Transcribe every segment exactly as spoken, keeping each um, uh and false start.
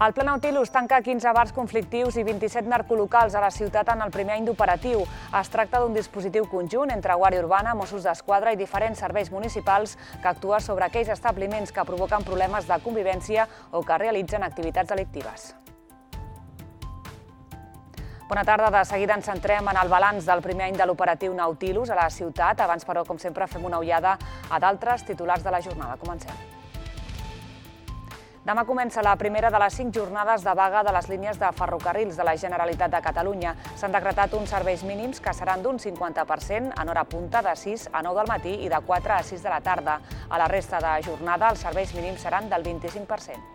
El Pla Nautilus tanca quinze bars conflictius i vint-i-set narcolocals a la ciutat en el primer any d'operatiu. Es tracta d'un dispositiu conjunt entre Guàrdia Urbana, Mossos d'Esquadra i diferents serveis municipals que actua sobre aquells establiments que provoquen problemes de convivència o que realitzen activitats delictives. Bona tarda. De seguida ens centrem en el balanç del primer any de l'operatiu Nautilus a la ciutat. Abans, però, com sempre, fem una ullada a d'altres titulars de la jornada. Comencem. Demà comença la primera de les cinc jornades de vaga de les línies de ferrocarrils de la Generalitat de Catalunya. S'han decretat uns serveis mínims que seran d'un cinquanta per cent en hora punta de sis a nou del matí i de quatre a sis de la tarda. A la resta de jornada els serveis mínims seran del vint-i-cinc per cent.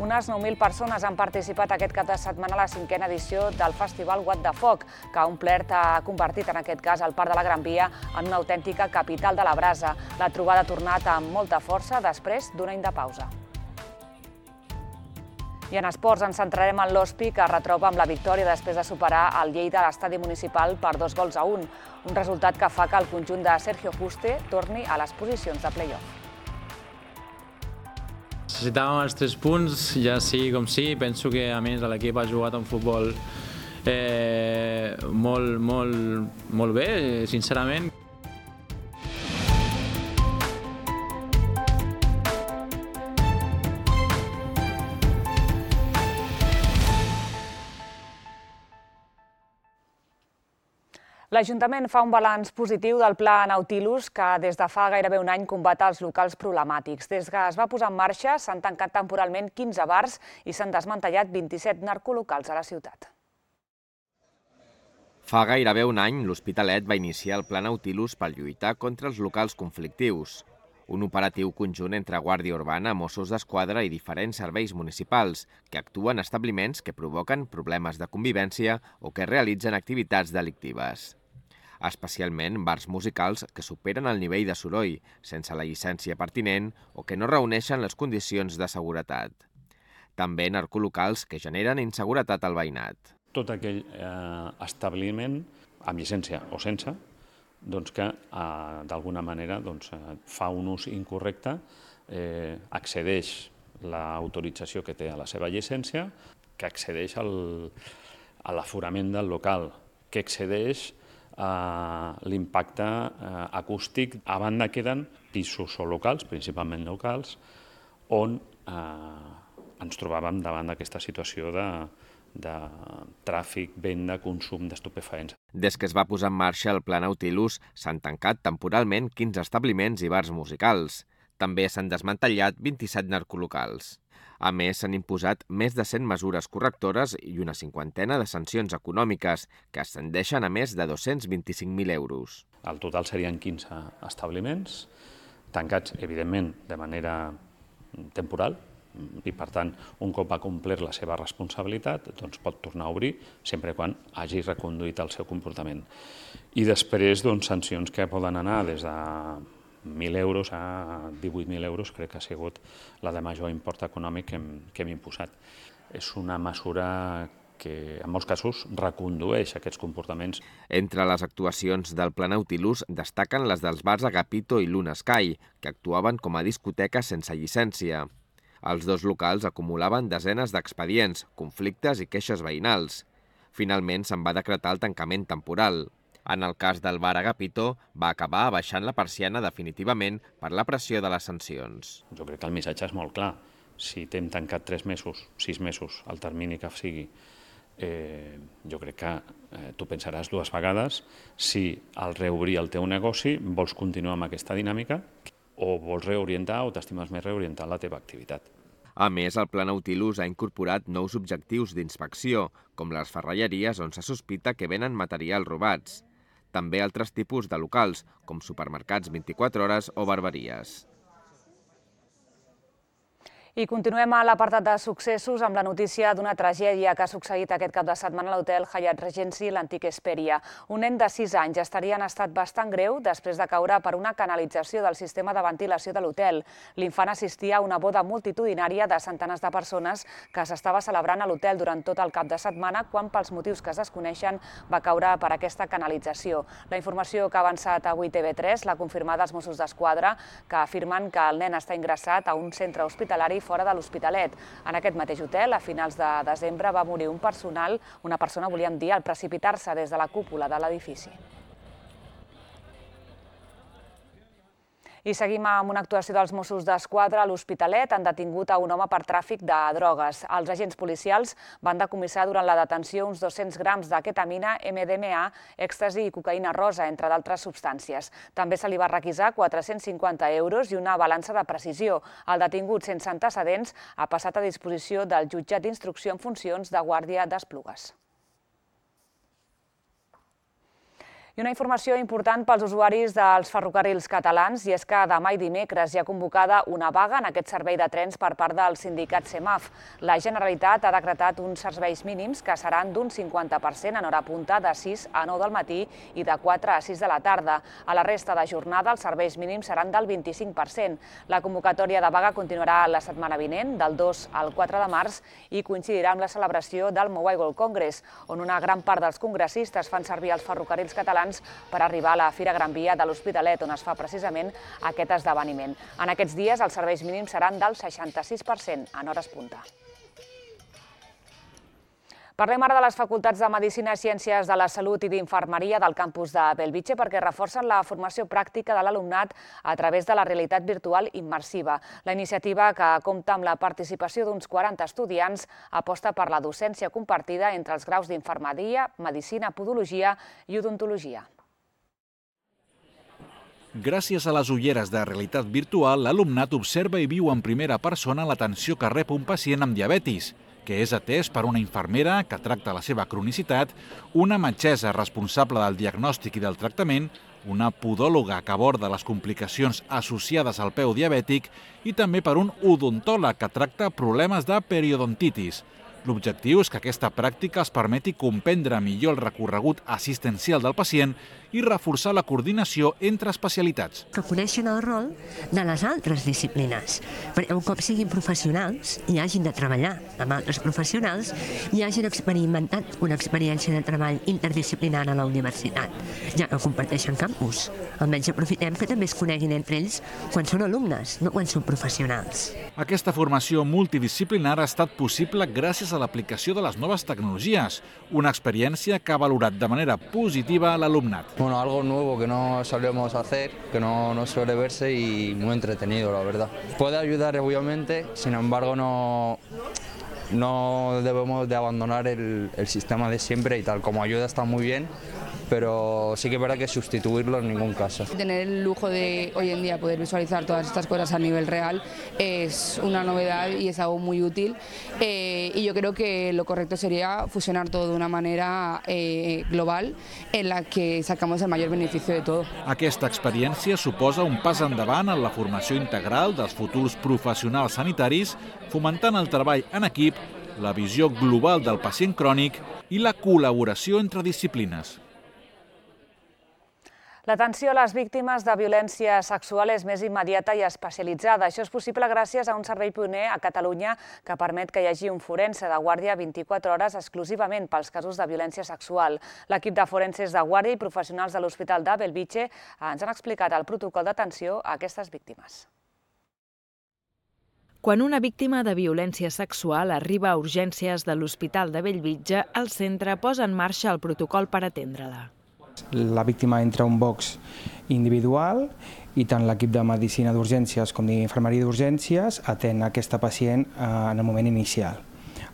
Unes nou mil persones han participat aquest cap de setmana a la cinquena edició del festival What the Foc, que ha omplert ha convertit en aquest cas el Parc de la Gran Via en una autèntica capital de la brasa. La trobada ha tornat amb molta força després d'un any de pausa. I en esports ens centrarem en l'O S P I, que es retroba amb la victòria després de superar el Lleida a l'estadi municipal per dos gols a un. Un resultat que fa que el conjunt de Sergio Juste torni a les posicions de play-off. Necessitàvem els tres punts, ja sigui com sigui. Penso que, a més, l'equip ha jugat un futbol eh, molt, molt, molt bé, sincerament. L'Ajuntament fa un balanç positiu del Pla Nautilus, que des de fa gairebé un any combat els locals problemàtics. Des que es va posar en marxa s'han tancat temporalment quinze bars i s'han desmantellat vint-i-set narcolocals a la ciutat. Fa gairebé un any, l'Hospitalet va iniciar el Pla Nautilus per lluitar contra els locals conflictius. Un operatiu conjunt entre Guàrdia Urbana, Mossos d'Esquadra i diferents serveis municipals que actuen en establiments que provoquen problemes de convivència o que realitzen activitats delictives. Especialment bars musicals que superen el nivell de soroll, sense la llicència pertinent o que no reuneixen les condicions de seguretat. També narcolocals que generen inseguretat al veïnat. Tot aquell eh, establiment, amb llicència o sense, doncs que eh, d'alguna manera doncs, fa un ús incorrecte, eh, accedeix l'autorització que té a la seva llicència, que accedeix al, a l'aforament del local, que excedeix l'impacte acústic. A banda queden pisos o locals, principalment locals, on eh, ens trobàvem davant d'aquesta situació de, de tràfic, venda, consum d'estupefaents. Des que es va posar en marxa el Pla Nautilus, s'han tancat temporalment quinze establiments i bars musicals. També s'han desmantellat vint-i-set narcolocals. A més, s'han imposat més de cent mesures correctores i una cinquantena de sancions econòmiques, que ascendeixen a més de dos-cents vint-i-cinc mil euros. El total serien quinze establiments, tancats, evidentment, de manera temporal, i, per tant, un cop ha complert la seva responsabilitat, doncs pot tornar a obrir, sempre quan hagi reconduït el seu comportament. I després, doncs, sancions que poden anar des de mil euros a divuit mil euros, crec que ha sigut la de major import econòmic que hem, que hem imposat. És una mesura que, en molts casos, recondueix aquests comportaments. Entre les actuacions del Pla Nautilus destaquen les dels bars Agapito i Luna Sky, que actuaven com a discoteques sense llicència. Els dos locals acumulaven desenes d'expedients, conflictes i queixes veïnals. Finalment se'n va decretar el tancament temporal. En el cas del bar Agapito, va acabar abaixant la persiana definitivament per la pressió de les sancions. Jo crec que el missatge és molt clar. Si t'hem tancat tres mesos, sis mesos, el termini que sigui, eh, jo crec que eh, tu pensaràs dues vegades si al reobrir el teu negoci vols continuar amb aquesta dinàmica o vols reorientar o t'estimes més reorientar la teva activitat. A més, el Pla Nautilus ha incorporat nous objectius d'inspecció, com les ferralleries on se sospita que venen materials robats. També altres tipus de locals, com supermercats vint-i-quatre hores o barberies. I continuem a l'apartat de successos amb la notícia d'una tragèdia que ha succeït aquest cap de setmana a l'hotel Hyatt Regency, l'antic Hesperia. Un nen de sis anys estaria en estat bastant greu després de caure per una canalització del sistema de ventilació de l'hotel. L'infant assistia a una boda multitudinària de centenars de persones que s'estava celebrant a l'hotel durant tot el cap de setmana quan, pels motius que es desconeixen, va caure per aquesta canalització. La informació que ha avançat avui T V tres l'ha confirmada els Mossos d'Esquadra, que afirmen que el nen està ingressat a un centre hospitalari fora de l'Hospitalet. En aquest mateix hotel, a finals de desembre, va morir un personal, una persona, volíem dir, al precipitar-se des de la cúpula de l'edifici. I seguim amb una actuació dels Mossos d'Esquadra a l'Hospitalet. Han detingut a un home per tràfic de drogues. Els agents policials van decomissar durant la detenció uns dos-cents grams de ketamina, ema de ema a, èxtasi i cocaïna rosa, entre d'altres substàncies. També se li va requisar quatre-cents cinquanta euros i una balança de precisió. El detingut sense antecedents ha passat a disposició del jutjat d'instrucció en funcions de Guàrdia d'Esplugues. I una informació important pels usuaris dels ferrocarrils catalans, i és que demà i dimecres hi ha convocada una vaga en aquest servei de trens per part del sindicat CEMAF. La Generalitat ha decretat uns serveis mínims que seran d'un cinquanta per cent en hora punta de sis a nou del matí i de quatre a sis de la tarda. A la resta de jornada els serveis mínims seran del vint-i-cinc per cent. La convocatòria de vaga continuarà la setmana vinent, del dos al quatre de març, i coincidirà amb la celebració del Mobile World Congress, on una gran part dels congressistes fan servir els ferrocarrils catalans per arribar a la Fira Gran Via de l'Hospitalet, on es fa precisament aquest esdeveniment. En aquests dies els serveis mínims seran del seixanta-sis per cent en hores punta. Parlem ara de les facultats de Medicina, Ciències de la Salut i d'Infermeria del campus de Bellvitge perquè reforcen la formació pràctica de l'alumnat a través de la realitat virtual immersiva. La iniciativa, que compta amb la participació d'uns quaranta estudiants, aposta per la docència compartida entre els graus d'Infermeria, Medicina, Podologia i Odontologia. Gràcies a les ulleres de realitat virtual, l'alumnat observa i viu en primera persona l'atenció que rep un pacient amb diabetis, que és atès per una infermera que tracta la seva cronicitat, una metgessa responsable del diagnòstic i del tractament, una podòloga que aborda les complicacions associades al peu diabètic i també per un odontòleg que tracta problemes de periodontitis. L'objectiu és que aquesta pràctica es permeti comprendre millor el recorregut assistencial del pacient i reforçar la coordinació entre especialitats. Que coneixen el rol de les altres disciplines, perquè un cop siguin professionals i hagin de treballar amb altres professionals i hagin experimentat una experiència de treball interdisciplinar a la universitat, ja que comparteixen campus. Almenys aprofitem que també es coneguin entre ells quan són alumnes, no quan són professionals. Aquesta formació multidisciplinar ha estat possible gràcies a l'aplicació de les noves tecnologies, una experiència que ha valorat de manera positiva l'alumnat. Bueno, algo nuevo que no solemos hacer, que no, no suele verse y muy entretenido, la verdad. Puede ayudar obviamente, sin embargo no, no debemos de abandonar el, el sistema de siempre y tal. Como ayuda está muy bien, pero sí que es verdad que sustituirlo en ningún caso. Tener el lujo de hoy en día poder visualizar todas estas cosas a nivel real es una novedad y es algo muy útil, eh, y yo creo que lo correcto sería fusionar todo de una manera eh, global en la que sacamos el mayor beneficio de todo. Aquesta experiència suposa un pas endavant en la formació integral dels futurs professionals sanitaris, fomentant el treball en equip, la visió global del pacient crònic i la col·laboració entre disciplines. L'atenció a les víctimes de violència sexual és més immediata i especialitzada. Això és possible gràcies a un servei pioner a Catalunya que permet que hi hagi un forense de guàrdia vint-i-quatre hores exclusivament pels casos de violència sexual. L'equip de forenses de guàrdia i professionals de l'Hospital de Bellvitge ens han explicat el protocol d'atenció a aquestes víctimes. Quan una víctima de violència sexual arriba a urgències de l'Hospital de Bellvitge, el centre posa en marxa el protocol per atendre-la. La víctima entra a un box individual i tant l'equip de medicina d'urgències com d'infermeria d'urgències atén aquesta pacient en el moment inicial.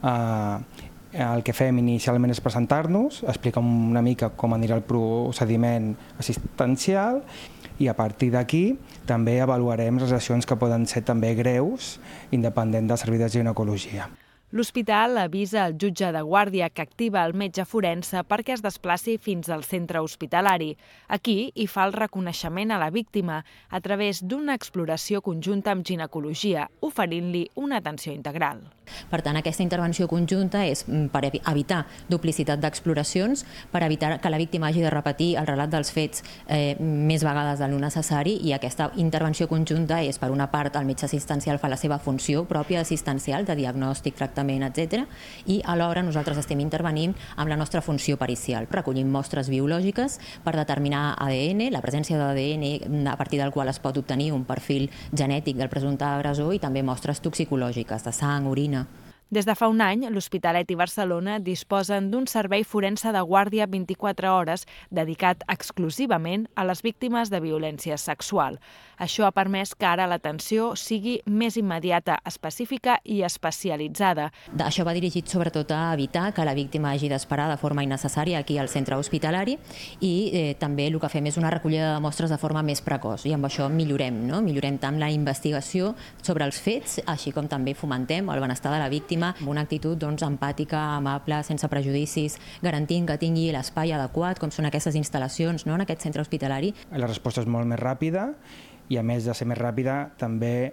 El que fem inicialment és presentar-nos, explicar una mica com anirà el procediment assistencial i a partir d'aquí també avaluarem les lesions que poden ser també greus, independent del servei de ginecologia. L'hospital avisa al jutge de guàrdia que activa el metge forense perquè es desplaci fins al centre hospitalari. Aquí hi fa el reconeixement a la víctima a través d'una exploració conjunta amb ginecologia, oferint-li una atenció integral. Per tant, aquesta intervenció conjunta és per evitar duplicitat d'exploracions, per evitar que la víctima hagi de repetir el relat dels fets eh, més vegades del necessari, i aquesta intervenció conjunta és, per una part, el metge assistencial fa la seva funció pròpia assistencial de diagnòstic, tractament, etcètera, i alhora nosaltres estem intervenint amb la nostra funció pericial. Recollim mostres biològiques per determinar A D N, la presència d'A D N a partir del qual es pot obtenir un perfil genètic del presumpte agressor, i també mostres toxicològiques de sang, orina. Des de fa un any, l'Hospitalet i Barcelona disposen d'un servei forense de guàrdia vint-i-quatre hores dedicat exclusivament a les víctimes de violència sexual. Això ha permès que ara l'atenció sigui més immediata, específica i especialitzada. Això va dirigit sobretot a evitar que la víctima hagi d'esperar de forma innecessària aquí al centre hospitalari, i eh, també el que fem és una recollida de mostres de forma més precoç, i amb això millorem, no? Millorem tant la investigació sobre els fets, així com també fomentem el benestar de la víctima amb una actitud doncs, empàtica, amable, sense prejudicis, garantint que tingui l'espai adequat, com són aquestes instal·lacions, no?, en aquest centre hospitalari. La resposta és molt més ràpida, i a més de ser més ràpida, també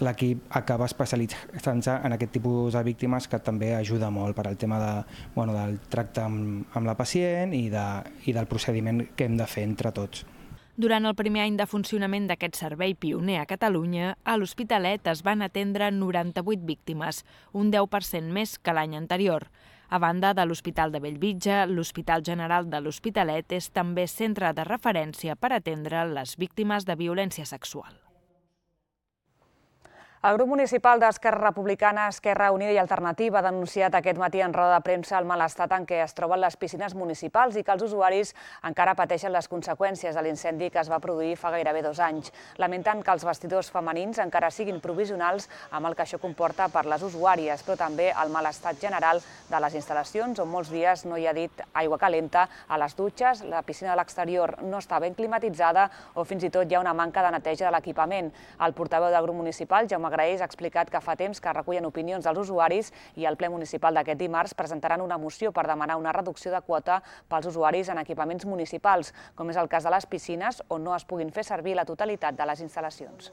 l'equip acaba especialitzant-se en aquest tipus de víctimes, que també ajuda molt per al tema de, bueno, del tracte amb, amb la pacient i, de, i del procediment que hem de fer entre tots. Durant el primer any de funcionament d'aquest servei pioner a Catalunya, a l'Hospitalet es van atendre noranta-vuit víctimes, un deu per cent més que l'any anterior. A banda de l'Hospital de Bellvitge, l'Hospital General de l'Hospitalet és també centre de referència per atendre les víctimes de violència sexual. El grup municipal d'Esquerra Republicana, Esquerra Unida i Alternativa ha denunciat aquest matí en roda de premsa el mal estat en què es troben les piscines municipals i que els usuaris encara pateixen les conseqüències de l'incendi que es va produir fa gairebé dos anys. Lamenten que els vestidors femenins encara siguin provisionals, amb el que això comporta per les usuàries, però també el mal estat general de les instal·lacions, on molts dies no hi ha dit aigua calenta a les dutxes, la piscina de l'exterior no està ben climatitzada o fins i tot hi ha una manca de neteja de l'equipament. El portaveu del grup municipal, Jaume Graells, ha explicat que fa temps que recullen opinions dels usuaris i al ple municipal d'aquest dimarts presentaran una moció per demanar una reducció de quota pels usuaris en equipaments municipals, com és el cas de les piscines, on no es puguin fer servir la totalitat de les instal·lacions.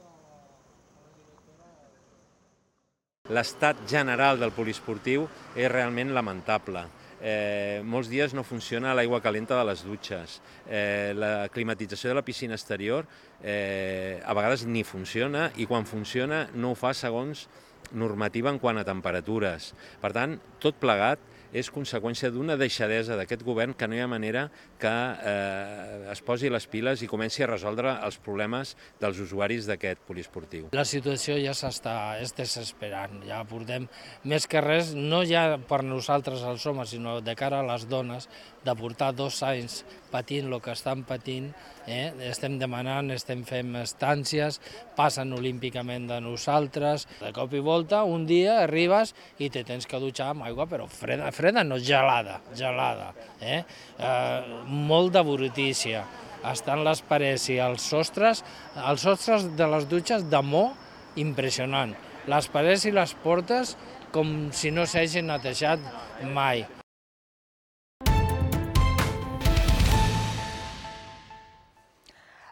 L'estat general del poliesportiu és realment lamentable. Eh, molts dies no funciona l'aigua calenta de les dutxes. Eh, la climatització de la piscina exterior eh, a vegades ni funciona, i quan funciona no ho fa segons normativa en quant a temperatures. Per tant, tot plegat és conseqüència d'una deixadesa d'aquest govern que no hi ha manera que eh, es posi les piles i comenci a resoldre els problemes dels usuaris d'aquest poliesportiu. La situació ja s'està desesperant, ja portem més que res, no ja per nosaltres els homes, sinó de cara a les dones, de portar dos anys patint el que estan patint, eh? Estem demanant, estem fent estàncies, passen olímpicament de nosaltres. De cop i volta, un dia arribes i te tens que dutxar amb aigua, però freda, freda no, gelada, gelada. Eh? Eh, molt de brutícia. Estan les parets i els sostres, els sostres de les dutxes de mo impressionant. Les parets i les portes com si no s'hagin netejat mai.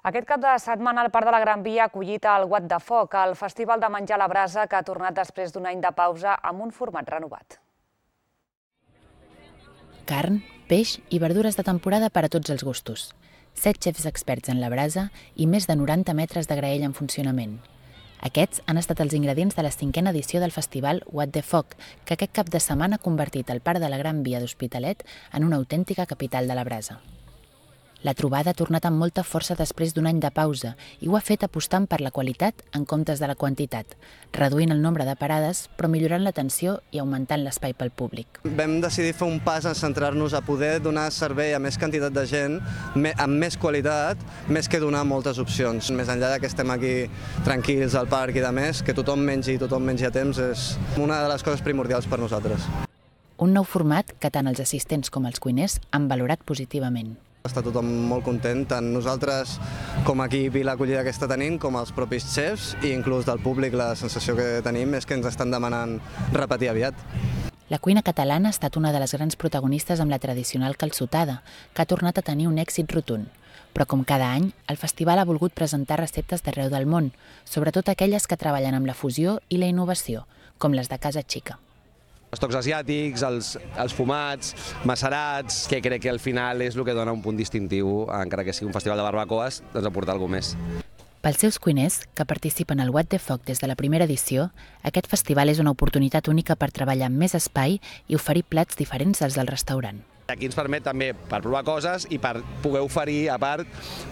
Aquest cap de setmana el Parc de la Gran Via ha acollit el What the Foc, el festival de menjar a la brasa que ha tornat després d'un any de pausa amb un format renovat. Carn, peix i verdures de temporada per a tots els gustos. Set xefs experts en la brasa i més de noranta metres de graella en funcionament. Aquests han estat els ingredients de la cinquena edició del festival What the Foc, que aquest cap de setmana ha convertit el Parc de la Gran Via d'Hospitalet en una autèntica capital de la brasa. La trobada ha tornat amb molta força després d'un any de pausa i ho ha fet apostant per la qualitat en comptes de la quantitat, reduint el nombre de parades però millorant l'atenció i augmentant l'espai pel públic. Vam decidir fer un pas en centrar-nos a poder donar servei a més quantitat de gent, amb més qualitat, més que donar moltes opcions. Més enllà que estem aquí tranquils al parc i de més, que tothom mengi i tothom mengi a temps és una de les coses primordials per nosaltres. Un nou format que tant els assistents com els cuiners han valorat positivament. Està tothom molt content, tant nosaltres com equip i l'acollida que està tenint, com els propis xefs i inclús del públic. La sensació que tenim és que ens estan demanant repetir aviat. La cuina catalana ha estat una de les grans protagonistes amb la tradicional calçotada, que ha tornat a tenir un èxit rotund. Però com cada any, el festival ha volgut presentar receptes d'arreu del món, sobretot aquelles que treballen amb la fusió i la innovació, com les de Casa Xica. Els tocs asiàtics, els, els fumats, macerats, que crec que al final és el que dona un punt distintiu, encara que sigui un festival de barbacoes, doncs aportar alguna cosa més. Pels seus cuiners, que participen al What the Foc des de la primera edició, aquest festival és una oportunitat única per treballar amb més espai i oferir plats diferents als del restaurant. Aquí ens permet també per provar coses i per poder oferir, a part,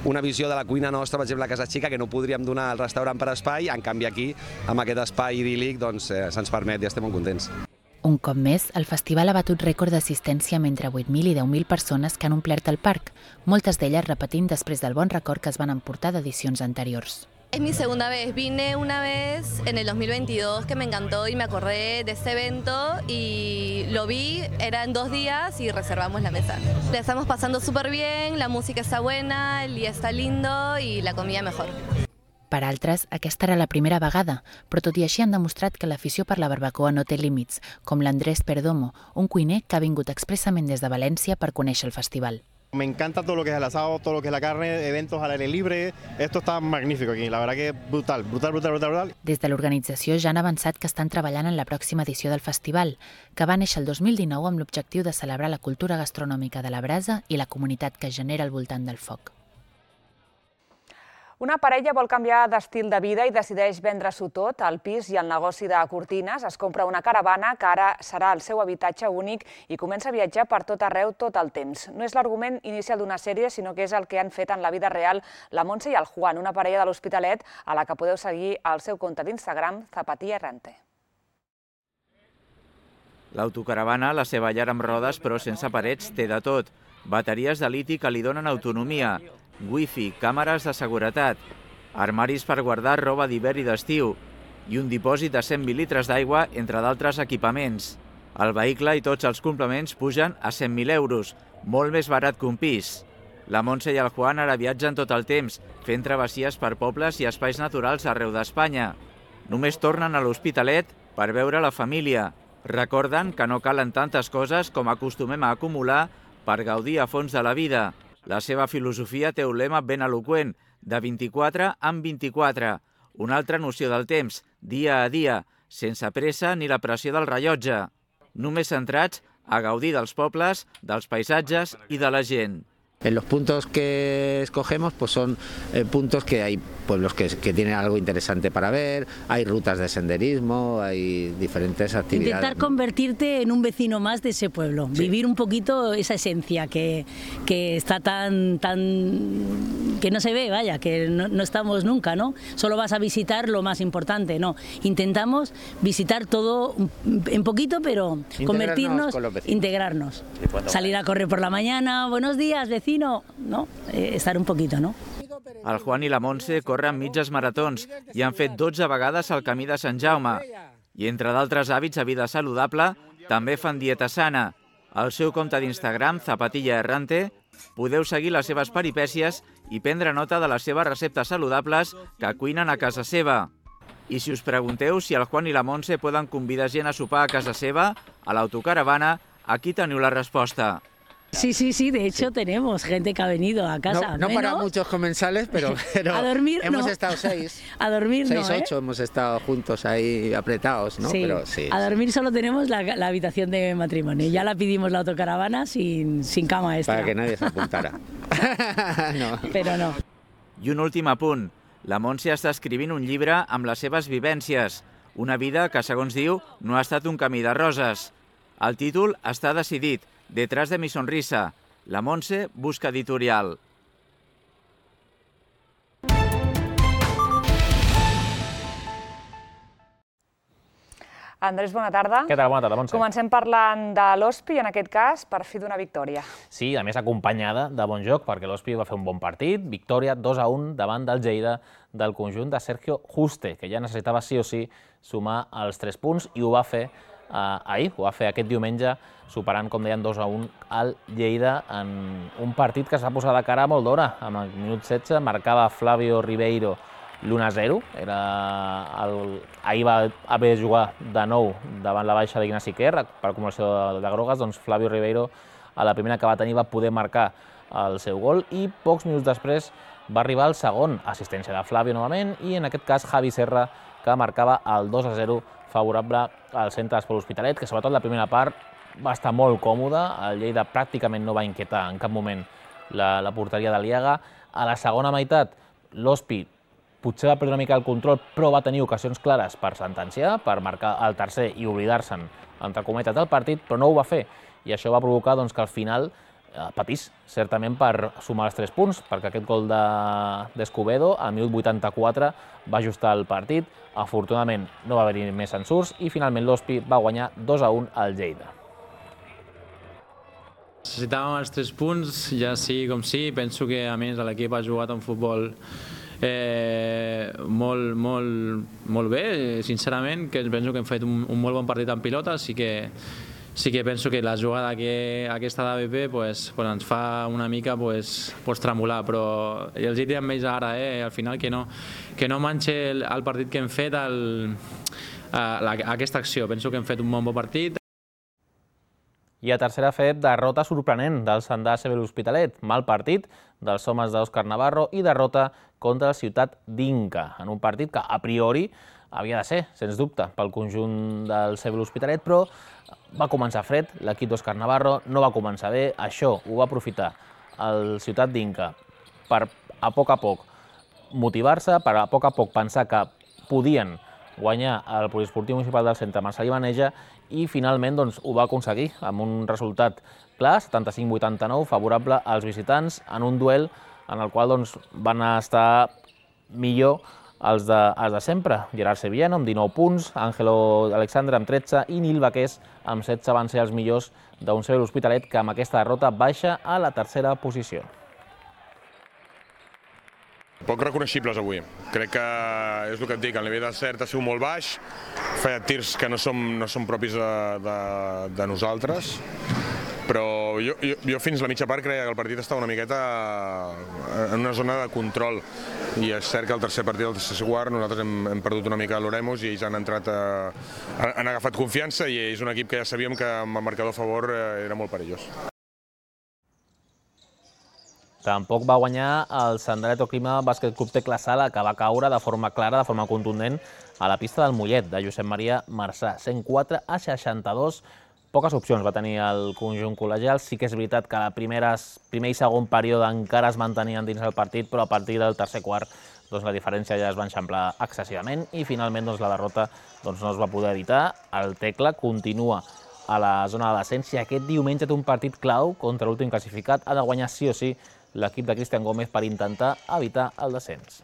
una visió de la cuina nostra, per exemple, a Casa Xica, que no podríem donar al restaurant per espai, en canvi aquí, amb aquest espai idíl·lic, doncs eh, se'ns permet i estem molt contents. Un cop més, el festival ha batut rècord d'assistència amb entre vuit mil i deu mil persones que han omplert el parc, moltes d'elles repetint després del bon record que es van emportar d'edicions anteriors. Es mi segunda vez. Vine una vez en el dos mil veintidós que me encantó y me acordé de este evento y lo vi, era en dos días y reservamos la mesa. La estamos pasando súper bien, la música está buena, el día está lindo y la comida mejor. Per altres, aquesta era la primera vegada, però tot i així han demostrat que l'afició per la barbacoa no té límits, com l'Andrés Perdomo, un cuiner que ha vingut expressament des de València per conèixer el festival. Me encanta todo lo que es el asado, todo lo que es la carne, eventos al aire libre, esto está magnífico aquí, la verdad que brutal, brutal, brutal, brutal, brutal. Des de l'organització ja han avançat que estan treballant en la pròxima edició del festival, que va néixer el dos mil dinou amb l'objectiu de celebrar la cultura gastronòmica de la brasa i la comunitat que genera al voltant del foc. Una parella vol canviar d'estil de vida i decideix vendre-s'ho tot, el pis i el negoci de cortines. Es compra una caravana que ara serà el seu habitatge únic i comença a viatjar per tot arreu tot el temps. No és l'argument inicial d'una sèrie, sinó que és el que han fet en la vida real la Montse i el Juan, una parella de l'Hospitalet a la que podeu seguir al seu compte d'Instagram Zapatilla Errante. L'autocaravana, la seva llar amb rodes però sense parets, té de tot. Bateries de liti que li donen autonomia, wifi, càmeres de seguretat, armaris per guardar roba d'hivern i d'estiu i un dipòsit de cent mil litres d'aigua, entre d'altres equipaments. El vehicle i tots els complements pugen a cent mil euros, molt més barat que un pis. La Montse i el Juan ara viatgen tot el temps, fent travessies per pobles i espais naturals arreu d'Espanya. Només tornen a l'Hospitalet per veure la família. Recorden que no calen tantes coses com acostumem a acumular per gaudir a fons de la vida. La seva filosofia té un lema ben eloqüent, de vint-i-quatre en vint-i-quatre, una altra noció del temps, dia a dia, sense pressa ni la pressió del rellotge, només centrats a gaudir dels pobles, dels paisatges i de la gent. En los puntos que escogemos pues son eh, puntos que hay pueblos que, que tienen algo interesante para ver, hay rutas de senderismo, hay diferentes actividades. Intentar convertirte en un vecino más de ese pueblo, sí. Vivir un poquito esa esencia que, que está tan, tan, que no se ve, vaya, que no, no estamos nunca, ¿no? Solo vas a visitar lo más importante, no. Intentamos visitar todo en poquito, pero convertirnos, integrarnos. Salir a correr por la mañana, buenos días, vecino. No? Eh, estar un poquito, no? El Juan i la Montse corren mitges maratons i han fet dotze vegades el camí de Sant Jaume. I entre d'altres hàbits de vida saludable, també fan dieta sana. Al seu compte d'Instagram, Zapatilla Errante, podeu seguir les seves peripècies i prendre nota de les seves receptes saludables que cuinen a casa seva. I si us pregunteu si el Juan i la Montse poden convidar gent a sopar a casa seva, a l'autocaravana, aquí teniu la resposta. Sí, sí, sí, de hecho tenemos gente que ha venido a casa. No, no para muchos comensales, pero, pero a dormir, hemos no. estado seis. A dormir seis, no, ¿eh? ocho hemos estado juntos ahí apretados, ¿no? Sí, pero, sí a dormir solo tenemos la, la habitación de matrimonio. Ya la pedimos la autocaravana sin, sin cama extra. Para que nadie se apuntara. no. Pero no. I un últim apunt. La Montse està escrivint un llibre amb les seves vivències. Una vida que, segons diu, no ha estat un camí de roses. El títol està decidit. Detrás de mi sonrisa, la Montse busca editorial. Andrés, bona tarda. Què tal? Bona tarda, Montse. Comencem parlant de l'Hospi, en aquest cas, per fi d'una victòria. Sí, a més acompanyada de bon joc, perquè l'Hospi va fer un bon partit, victòria dos a un davant del Lleida del conjunt de Sergio Juste, que ja necessitava sí o sí sumar els tres punts i ho va fer Uh, ahir, ho va fer aquest diumenge, superant, com deien, dos a un al Lleida en un partit que es va posar de cara molt d'hora. Amb el minut setze marcava Flavio Ribeiro l'u a zero. Era el... Ahir va haver de jugar de nou davant la baixa d'Ignasi Quer per acumulació de, de grogues, doncs Flavio Ribeiro a la primera que va tenir va poder marcar el seu gol i pocs minuts després va arribar el segon, assistència de Flavio novament i en aquest cas Javi Serra, que que marcava el dos a zero favorable al centre d'Esport L'Hospitalet, que sobretot la primera part va estar molt còmode. El Lleida pràcticament no va inquietar en cap moment la, la porteria de l'Iaga. A la segona meitat, l'Hospi potser va perdre una mica el control, però va tenir ocasions clares per sentenciar, per marcar el tercer i oblidar-se'n, entre cometes, del partit, però no ho va fer. I això va provocar doncs, que al final eh, patís, certament, per sumar els tres punts, perquè aquest gol d'Escobedo, al minut vuitanta-quatre, va ajustar el partit. Afortunadament, no va haver-hi més ensurts i finalment l'Hospi va guanyar dos a un al Lleida. Necessitàvem els tres punts, ja sí com sí. Penso que, a més, l'equip ha jugat un futbol eh, molt, molt, molt bé, sincerament, que penso que hem fet un, un molt bon partit en pilota, sí que, sí que penso que la jugada que, aquesta d'A B P pues, pues ens fa una mica pues, pues tremolar, però els hi diré amb ells ara, eh, al final, que no, que no manxe el, el partit que hem fet, el, la, aquesta acció. Penso que hem fet un bon bon partit. I a tercera fet, derrota sorprenent del Sandà A C B L'Hospitalet. Mal partit dels homes d'Òscar Navarro i derrota contra el Ciutat d'Inca, en un partit que a priori havia de ser, sens dubte, pel conjunt del C B L'Hospitalet, però va començar fred, l'equip d'Òscar Navarro no va començar bé. Això ho va aprofitar el Ciutat d'Inca per a poc a poc motivar-se, per a poc a poc pensar que podien guanyar el poliesportiu municipal del centre Marcel·lí Maneja, i finalment doncs, ho va aconseguir amb un resultat clar, setanta-cinc vuitanta-nou, favorable als visitants, en un duel en el qual doncs, van estar millor els de, els de sempre. Gerard Sevillano amb dinou punts, Àngelo Alexandre amb tretze i Nil Baqués amb setze van ser els millors d'un C B L'Hospitalet, que amb aquesta derrota baixa a la tercera posició. Poc reconeixibles avui. Crec que és el que et dic, el nivell de cert ha sigut molt baix, feia tirs que no som, no som propis de, de, de nosaltres, però jo, jo, jo fins la mitja part creia que el partit estava una miqueta en una zona de control, i és cert que el tercer partit, el tercer quart, nosaltres hem, hem perdut una mica l'Oremus i ells han entrat, a, han agafat confiança, i és un equip que ja sabíem que amb el marcador a favor era molt perillós. Tampoc va guanyar el Sandalet Oclima Bàsquet Club Tecla Sala, que va caure de forma clara, de forma contundent, a la pista del Mollet, de Josep Maria Marçà, cent quatre a seixanta-dos. Poques opcions va tenir el conjunt col·legial. Sí que és veritat que a primer i segon període encara es mantenien dins el partit, però a partir del tercer quart doncs, la diferència ja es va enxamplar excessivament i finalment doncs, la derrota doncs, no es va poder evitar. El Tecla continua a la zona de descens i aquest diumenge té un partit clau contra l'últim classificat. Ha de guanyar sí o sí l'equip de Cristian Gómez per intentar evitar el descens.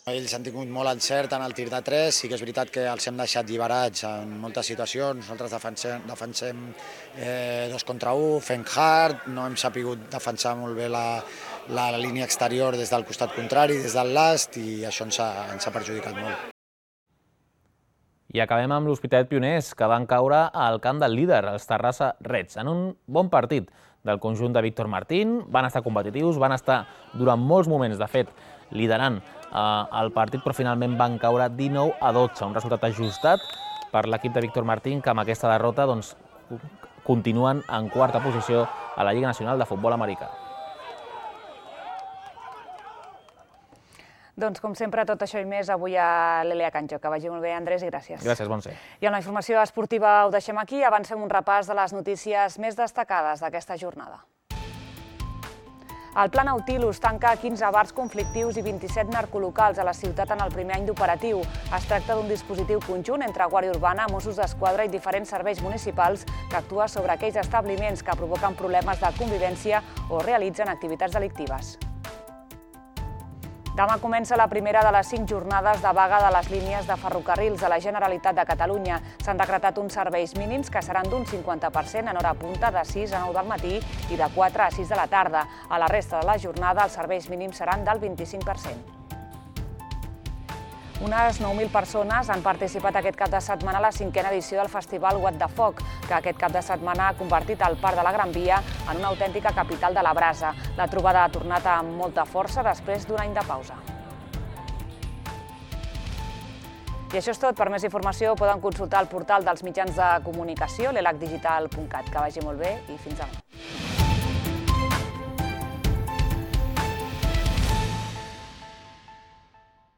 Ells han tingut molt encert en el tir de tres, sí que és veritat que els hem deixat lliberats en moltes situacions, nosaltres defensem, defensem eh, dos contra un, fent hard, no hem sapigut defensar molt bé la, la, la línia exterior des del costat contrari, des del last, i això ens ha, ens ha perjudicat molt. I acabem amb l'Hospitalet Pioners, que van caure al camp del líder, els Terrassa Reds, en un bon partit del conjunt de Víctor Martín. Van estar competitius, van estar durant molts moments, de fet, liderant eh, el partit, però finalment van caure dinou a dotze, un resultat ajustat per l'equip de Víctor Martín, que amb aquesta derrota doncs, continuen en quarta posició a la Lliga Nacional de Futbol Americà. Doncs, com sempre, tot això i més avui a l'Elia Canjo. Que vagi molt bé, Andrés, i gràcies. Gràcies, Montse. I amb la informació esportiva ho deixem aquí. Avancem un repàs de les notícies més destacades d'aquesta jornada. El Pla Nautilus tanca quinze bars conflictius i vint-i-set narcolocals a la ciutat en el primer any d'operatiu. Es tracta d'un dispositiu conjunt entre Guàrdia Urbana, Mossos d'Esquadra i diferents serveis municipals que actua sobre aquells establiments que provoquen problemes de convivència o realitzen activitats delictives. Demà comença la primera de les cinc jornades de vaga de les línies de ferrocarrils de la Generalitat de Catalunya. S'han decretat uns serveis mínims que seran d'un cinquanta per cent en hora punta de sis a nou del matí i de quatre a sis de la tarda. A la resta de la jornada els serveis mínims seran del vint-i-cinc per cent. Unes nou mil persones han participat aquest cap de setmana a la cinquena edició del festival What the Foc, que aquest cap de setmana ha convertit el Parc de la Gran Via en una autèntica capital de la brasa. La trobada ha tornat amb molta força després d'un any de pausa. I això és tot. Per més informació poden consultar el portal dels mitjans de comunicació, l'elac digital punt cat. Que vagi molt bé i fins demà.